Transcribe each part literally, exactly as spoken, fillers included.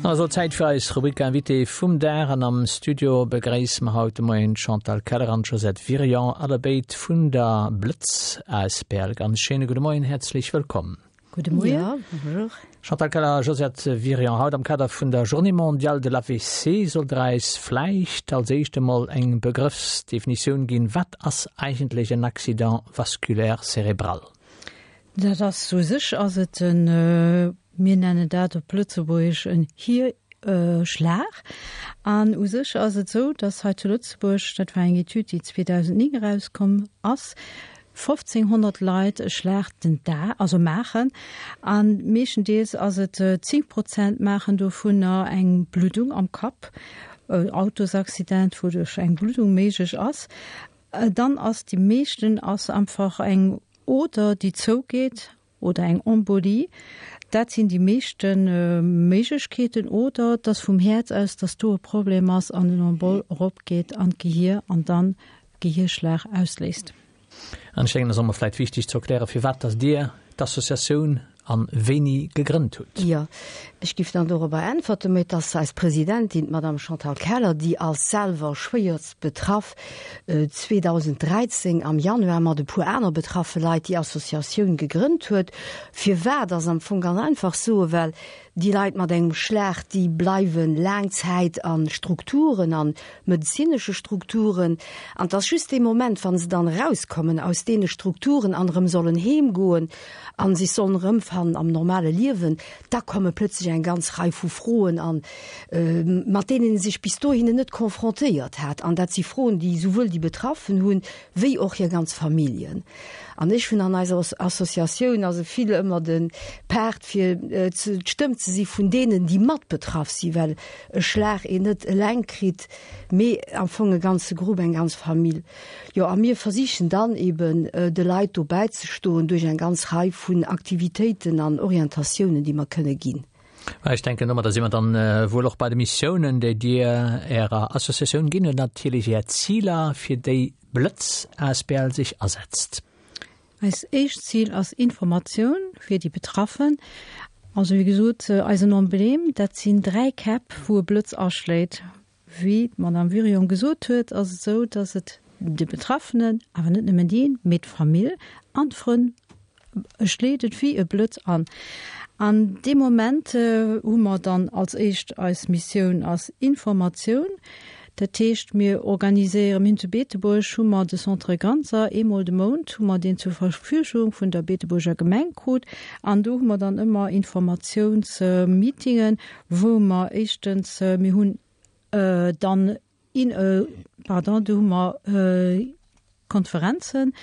Also Zäit fir eis Rubrik Invité vum Dag an am Studio begréisse mer haut de Moien Chantal Keller an Josette Virion allebéid vun der Blëtz asbl. Ganz schéine gudde Moien, häerzlech wëllkomm. Gudde Moien. Ja, bonjour. Chantal Keller, Josette Virion, haut am Kader vun der Journée mondiale de l'AVC sollt der eis vläicht als éischt emol eng Begrëffsdefinitioun ginn. Wat ass eigentlech en Accident vasculaire cérébral? Dat ass u sech ass et en, mir nennen dat op Lëtzebuergesch en Hierschlag. An u sech ass et esou, dass hei zu Lëtzebuerg, dat war eng Etüd, déi zweedausendnéng erauskomm ass, fofzénghonnert Leit e Schlag den Dag, also maachen. A meeschtendeels ass et zéng Prozent maachen dovunner eng Bluddung am Kapp, Autosaccident, wouduerch eng Bluddung méiglech ass. Dann ass déi meeschten ass einfach eng Oder déi zougeet oder eng Embolie. Dat sinn déi meeschte Méiglechkeeten. Oder dass vum Häerz aus, dass do e Problem ass an en Embol eropgeet an d'Gehier an dann Gehierschlag ausléist. An ech denken, et ass och emol vläicht wichteg ze erklären, firwat dass Dir d'Associatioun an wéini gegrënnt hutt. Jo, ech giff dann dorobber äntwerten, mee et ass eis Presidentin, d'Madame Chantal Keller, déi als selwer schwéierst betraff zweedausenddräizéng am Januar mat e puer aner betraffe Leit déi Associatioun gegrënnt huet. Firwat ass am Fong ganz einfach soen, well déi Leit mat engem Schlag, déi bleiwe laang Zäit a Strukturen, a medezinesche Strukturen. An et ass just dee Moment, wa se dann erauskommen aus deene Strukturen an erëm sollen heemgoen a sech sollen erëmfannen am normale Liewen, da komme plötzlech eng ganz Rei vu Froen an, mat deenen ee sech bis dohinner net confrontéiert hat. An dat si Froen, déi souwuel déi Betraffen hunn, wéi och hir ganz Familljen. An ech hunn an eiser Associatioun also vill ëmmer de Part fir d'Stëmm ze si vun deenen, déi mat betraff sinn, well e Schlag een net eleng kritt, mee am Fong e ganze Grupp, eng ganz Famill. Jo, a mir versichen dann eben de Leit do bäizestoen duerch eng ganz Rei vun Aktivitéiten an Orientatiounen, déi mer kënne ginn. Ech denken, domadder si mer dann wuel och bei de Missiounen, déi Dir Ärer Associatioun ginn hutt, natierlech Är Ziler, fir déi Blëtz asbl sech asetzt. Eist éischt Zil ass Informatioun fir déi Betraffen. Also wéi gesot, eisen Emblème, dat sinn dräi Käpp, wou e Blëtz aschléit. Wéi d'Madame Wirion gesot huet, ass et esou, datt et de Betraffenen, awer net nëmmen deen, mee d'Famill an d'Frënn schléit et wéi e Blëtz an. An dee Moment hu mer dann als éischt, eis Missioun ass Informatioun. Dat heescht, mir organiséieren, mir hunn zu Beetebuerg hu mer de Centre Ganser, eemol de Mount hu mer deen zur Verfügung vun der Beetebuerger Gemeng krut. An do hu mer dann ëmmer Informatiounsmeetingen, wou mer éischtens, mir hunn dann, pardon, do hu mer Konferenzen.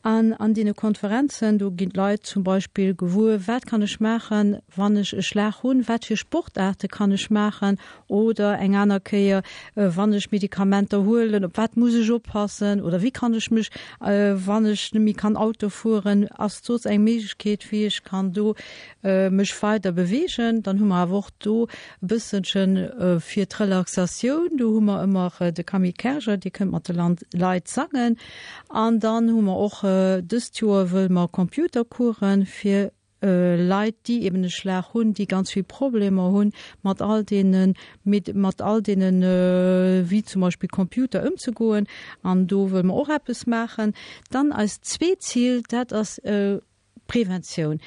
An an deene Konferenzen, do ginn d'Leit zum Beispill gewuer, wat kann ech maachen, wann ech e Schlag hunn, wat fir Sportaarte kann ech maachen oder eng aner Kéier, wann ech Medikamenter huelen, op wat muss ech oppassen oder wéi kann ech mech, wann ech net méi kann Auto fueren, ass soss eng Méiglechkeet, wéi ech kann do mech weider beweegen. Dann hu mer awer och do e bësselche fir d'Relaxatioun, do hu mer ëmmer de Camille Kerger, dee kënnt mat de Leit sangen. An dann hu mer och dëst Joer wëlle mer Computercoursen fir Leit, déi eben e Schlag hunn, déi ganz vill Problemer hunn mat all deene mat all deenen, wéi zum Beispill Computer ëmzegoen. An do wëlle mer och eppes maachen. Dann eist zweet Zil, dat ass Preventioun.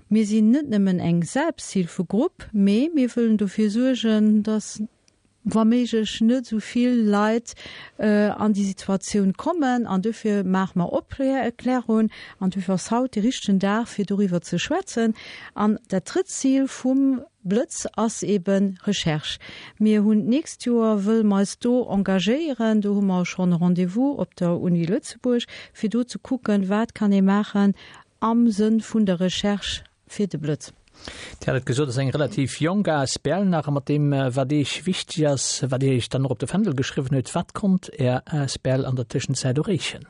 Mir sinn net nëmmen eng Selbsthilfegrupp, mee mir wëllen dofir suergen, dass wa méiglech net esou vill Leit an déi Situatioun kommen. An dofir maache mer Opklärung. An dofir ass haut dee richtegen Dag, fir doriwwer ze schwätzen. An dat drëtt Zil vum Blëtz ass ebe Recherche. Mir hunn d'nächst Joer, wëlle mer eis do engagéieren, do hu mer schonn e Rendez-vous op der Uni Lëtzebuerg, fir do ze kucken, wat kann ee maachen am Sënn vun der Recherche fir de Blëtz. Dir hat et gesot, et ass eng relativ jonk asbl nach. A mat deem, wat Iech wichteg ass, wat Dir Iech dann och op de Fändel geschriwwen hutt, wat konnt Är asbl an der Tëschenzäit erreechen?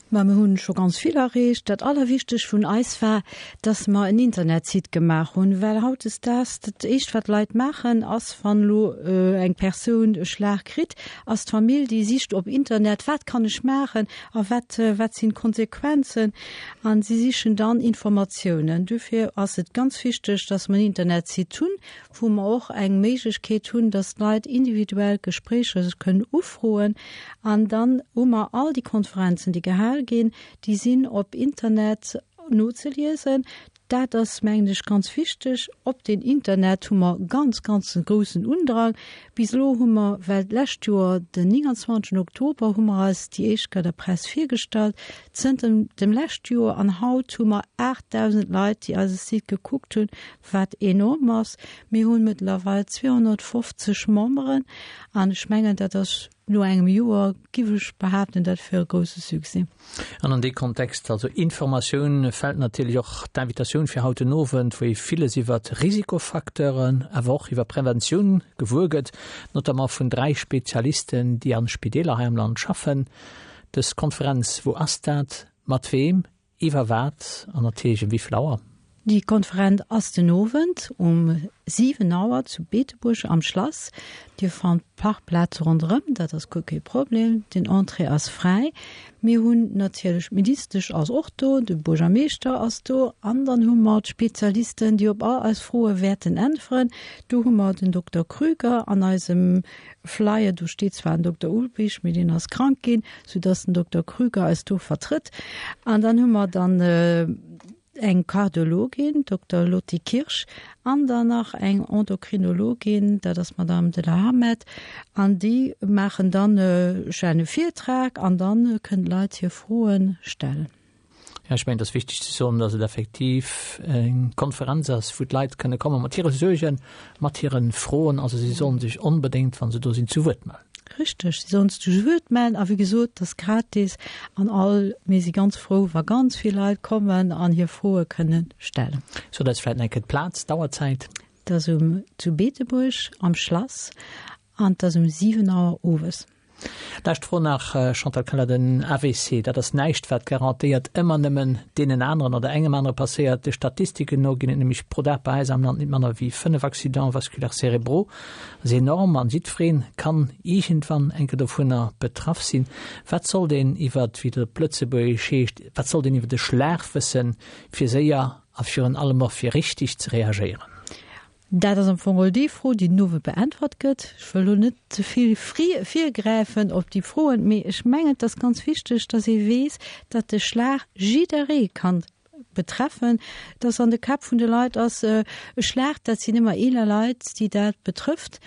Ma mir hunn scho ganz vill erreecht. Dat Allerwichtegst vun eis war, dass mer en Internetsite gemaach hunn, well hautdesdaags dat éischt wat d'Leit maachen ass, wann elo eng Persoun e Schlag kritt, ass d'Famill déi sicht op Internet, wat kann ech maachen a wat wat sinn d'Konsequenzen an si sichen dann Informatiounen. Dofir ass et ganz wichteg, dass mer en Internetsite hunn, wou mer och eng Méiglechkeet hunn, dass d'Leit individuell Gespréicher sech kënnen ufroen an dann hu mer all déi Konferenzen, déi gehal ginn, déi sinn op Internet nozeliesen. Dat ass, mengen ech, ganz wichteg. Op den Internet hu mer ganz, ganz e groussen Undrang. Bis elo hu mer, well d'lescht Joer den neunundzwanzeg Oktober hu mer eis déi éischt Kéier der Press virgestallt, zënter dem lescht Joer an haut hu mer aachtdausend Leit, déi eise Site gekuckt hunn, wat enorm ass. Mir hunn mëttlerweil zweehonnertfofzeg Memberen an ech mengen, dat ass no engem Joer, giff ech behaapten, dat wier e grousse Succès. An an dee Kontext, also Informatioun, fält natierlech och d'Invitatioun fir haut den Owend, wou ee villes iwwert Risikofacteuren, awer och iwwer Preventioun gewuer gëtt, notamment vun dräi Spezialisten, déi an Spideeler hei am Land schaffen. Dës Konferenz, wou ass dat, mat weem, iwwer wat an natierlech ëm wéi vill Auer? Déi Konferenz ass den Owend um siwen Auer zu Beetebuerg am Schlass. Dir fannt Parkplaze ronderëm, dat ass guer kee Problem. Den Entrée ass fräi. Mir hunn natierlech, d'Ministesch ass och do, de Buergermeeschter ass do an dann hu mer d'Spezialisten, déi op all eis Froe wäerten äntweren. Do hu mer den Dokter Krüger an eisem Flyer, do steet zwar den Dokter Ulbrich, mee deen ass krank ginn, soudass den Dokter Krüger eis do vertrëtt. An dann hu mer dann eng Kardiologin, Dokter Lotty Kirsch, an dann nach eng Endokrinologin, dat ass d'Madame de la Hamet, an déi maachen dann e schenne Virtrag an dann kënnen d'Leit hir Froen stellen. Jo, ech mengen, et ass wichteg ze soen, dass et effektiv eng Konferenz ass, wou d'Leit kënne komme mat hire Suergen, mat hire Froen. Also si sollen sech onbedéngt, wa se do sinn, zu Wuert mellen. Richteg, si sollen sech zu Wuert mellen a wéi gesot, et ass gratis an all, mir si ganz frou, wa ganz vill Leit kommen an hir Froe kënnen stellen. Sot eis vläicht nach eng Kéier d'Plaz, d'Auerzäit. Et ass um zu Beetebuerg am Schlass an et ass um siwen Auer owes. Lescht Fro nach, Chantal Keller, Den A V C, dat ass näischt, wat garantéiert ëmmer nëmmen deenen aneren oder engem anere passéiert. De Statistiken no ginn et nämlech pro Dag bei eis am Land net manner wéi fënnef Accidents vasculaires cérébraux. Dat ass enorm an jiddweree kann iergendwann eng Kéier dovunner betraff sinn. Wat sollt een iwwert, wéi et op Lëtzebuergesch heescht, wat sollt een iwwer de Schlag wëssen, fir séier a virun allem och fir richteg ze reagéieren? Dat ass am Fong geholl déi Fro, déi den Owend beäntwert gëtt. Ech wëll elo net ze vill virgräifen op déi Froen, mee ech mengen, et ass ganz wichteg, dass ee weess, datt de Schlag jidderee kann betreffen, dass an de Käpp vun de Leit ass, e Schlag, dat sinn ëmmer eeler Leit, déi dat betrëfft,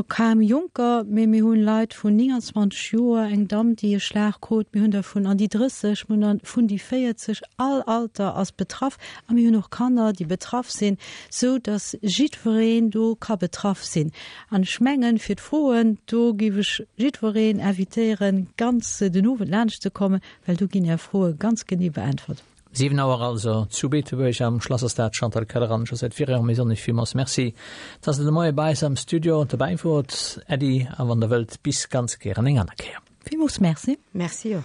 kaum Jonker, mee mir hunn Leit vun neunundzwanzeg Joer, eng Damm, déi e Schlag krut, mir hunn der vun an déi drësseg, mir hunn der vun déi véierzeg, all Alter ass betraff a mir hunn och Kanner, déi betraff sinn, sou datt jiddwereen do ka betraff sinn. An ech mengen, fir d'Froen, do géif ech jiddwereen invitéieren, ganz den Owend laanscht ze kommen, well do ginn Är Froe ganz genee beäntwert. Siwen Auer also zu Beetebuerg am Schlass ass dat. Chantal Keller an Josette Virion, mir soen Iech villmools Merci, dass Der de Moie bei eis am Studio dobäi wort. Äddi a wann Der wëllt, bis ganz gären eng aner Kéier. Villmools Merci. Merci och.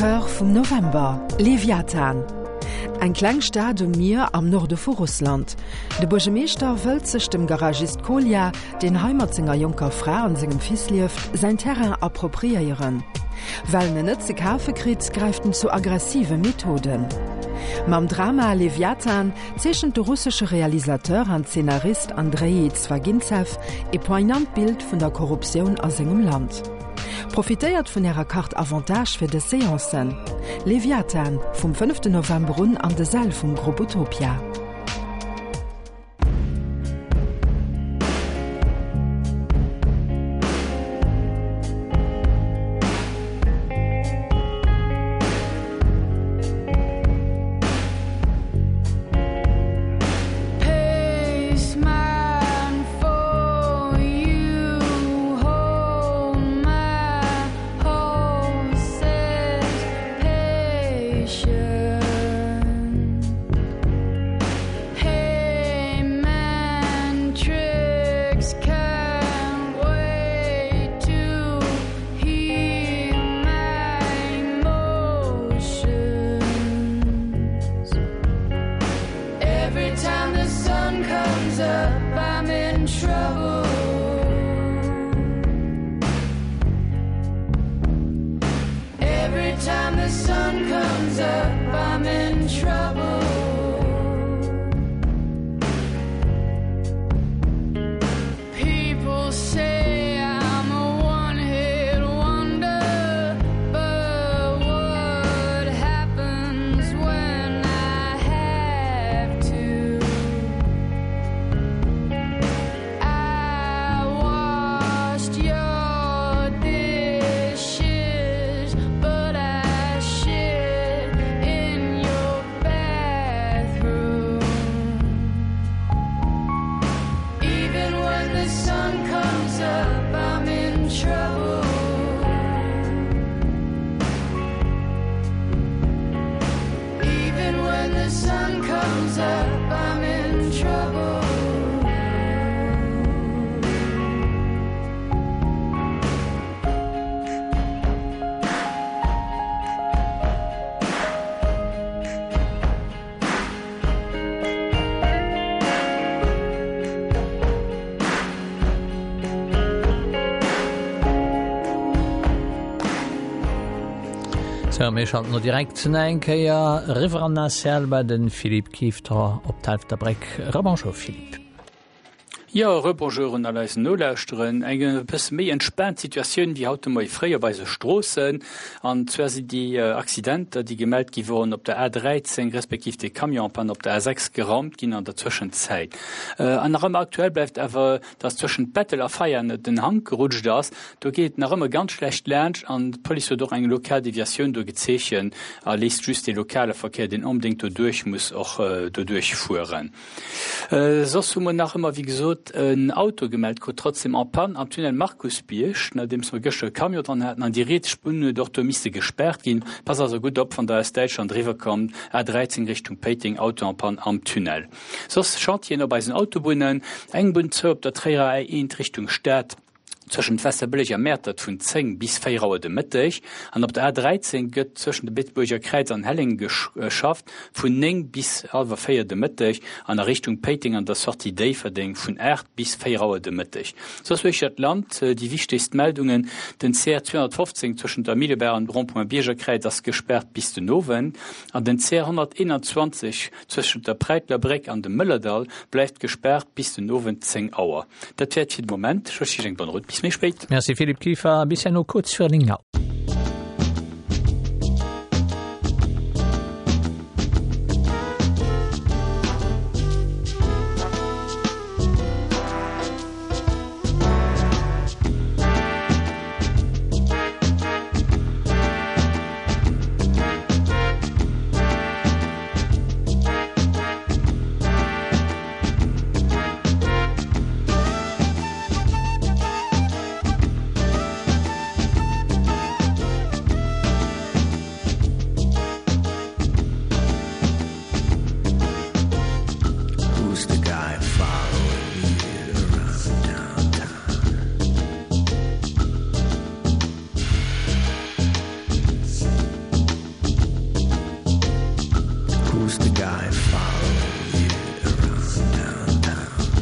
Cœur vum November, Leviathan. Eng kleng Stad um Mier am Norde vu Russland. De Buergermeeschter wëllt sech dem Garagist Kolja, deen hei mat senger jonker Fra an sengem Fils lieft, säin Terrain appropriéieren. Well en en net ze kafe kritt, gräift en zu aggressive Methoden. Mam Drama Leviathan zeechent de russesche Realisateur an Zeenarist Andreï Zwaginzew e poignant Bild vun der Korruptioun a sengem Land. Profitéiert vun ärer Carte Avantage fir dës Seancen. Leviathan, vum fënneften November un an de Säll vum Groupe Utopia. Sou, mir schalten lo direkt nach eng Kéier eriwwer an d'Nacelle bei de Philippe Kiefter op d'Helfterbréck. Rebonjour Philippe. Jo, Rebonjour un all eis Nolauschterern. Eng e bësse méi entspaant Situatioun wéi haut de Moie fréi op eise Stroossen. An zwar sinn déi Accidenter, déi gemellt gi woren op der A dräizéng respektiv de Camion en panne op der A sechs geraumt ginn an der Zwëschenzäit. An nach ëmmer aktuell bleift awer, dass zwëschent Bettel a Veianen den Hank gerutscht ass. Do geet et nach ëmmer ganz schlecht laanscht an d'Police huet och eng lokal Deviatioun do gezeechent a léisst just de lokale Verkéier, deen onbedéngt doduerch muss, och doduerch fueren. Soss hu mer nach ëmmer, wéi gesot, en Auto gemellt krut, trotzdem en panne am Tunnel Markusbierg, nodeems mer gëschter e Camion dran haten an déi riets Spuer huet och do misste gespaart ginn. Passt also gutt op, wann Der aus Däitschland eriwwer kommt, A dräizéng Richtung Péiteng, Auto en panne am Tunnel. Soss Chantieren op eisen Autobunnen, eng Bunn zou op der Tréierer A eent Richtung Stad, Tëschent Waasserbëlleg a Mäertert vun zéng bis véier Auer de Mëtteg an op der A dräizéng gëtt tëschent dem Beetebuerger Kräiz an Helleng geschafft vun néng bis hallwer véier de Mëtteg an a Richtung Péiteng an der Sortie Déifferdeng vun aacht bis véier Auer de Mëtteg. Soss uechter d'Land déi wichtegst Meldungen, Den C R zweehonnertfofzéng tëschent der Millebaach an dem Rond-point Biergerkräiz ass gespaart bis den Owend an den C R honnerteenanzwanzeg tëschent der Präitler Bréck an dem Mëllerdall bleift gespaart bis den Owend zéng Auer. Dat wär et fir de Moment. Ech wënschen Iech eng bonne route. Bis méi spéit. Merci Philippe Kieffer, bis herno kuerz virun néng Auer. Who's the guy follow you around downtown?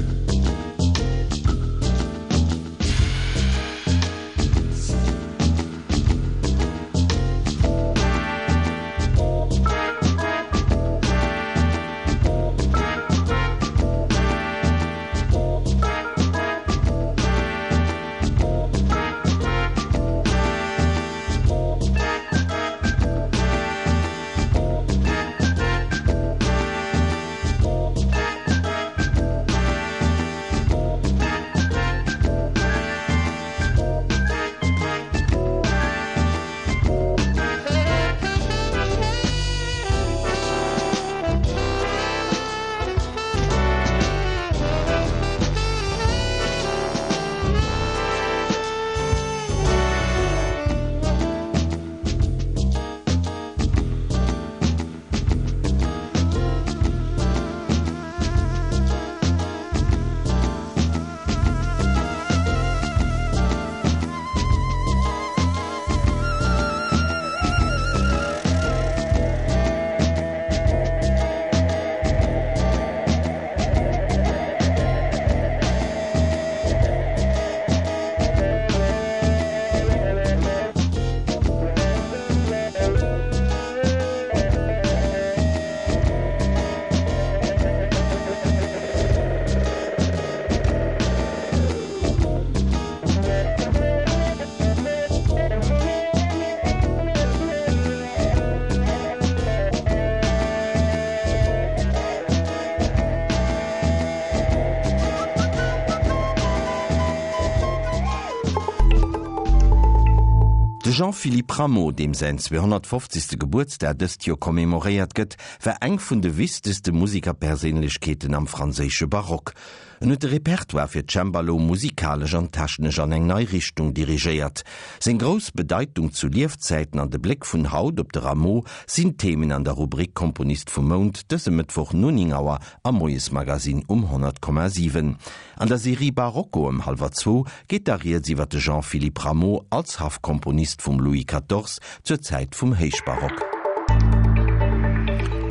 De Jean-Philippe Rameau, deem säin zweehonnertfofzegste Gebuertsdag dëst Joer commemoréiert gëtt, war eng vun de wichtegste Musikerperséinlechkeeten am franséische Barock. En huet de Repertoire fir Cembalo musikalesch an technesch an eng nei Richtung dirigéiert. Seng grouss Bedeitung zu Liefzäiten an de Bléck vun haut op de Rameau sinn Themen an der Rubrik Komponist vum Mount dëse Mëttwoch no néng Auer am Moiesmagazin um honnert Komma siwen. An der Serie Barocco ëm hallwer zwou geet da rieds iwwer de Jean-Philippe Rameau als Haffkomponist vum Louis quatorze zur Zäit vum Héichbarock.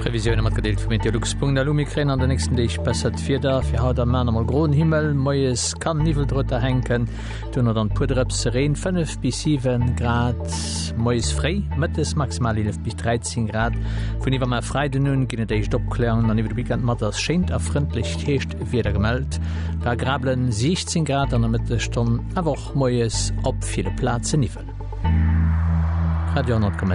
Previsioune matgedeelt vu Meteolux.lu, Mir kréien an den nächsten Deeg bessert Wieder. Fir haut a mar emol groen Himmel, moies kann Niwwel drënner hänken, duerno dann puer Drëpse Reen, fënnef bis siwen Grad moies fréi, mëttes maximal eelef bis dräizéng Grad. Vun iwwermar Freiden un ginn et éischt Opkläerungen an iwwer de Weekend mat ass schéint a frëndlecht Hierschtwieder gemellt. Bei agreablen siechzéng Grad an der Mëttesstonn, awer och moies op ville Plazen Niwwel. Radio honnert Komma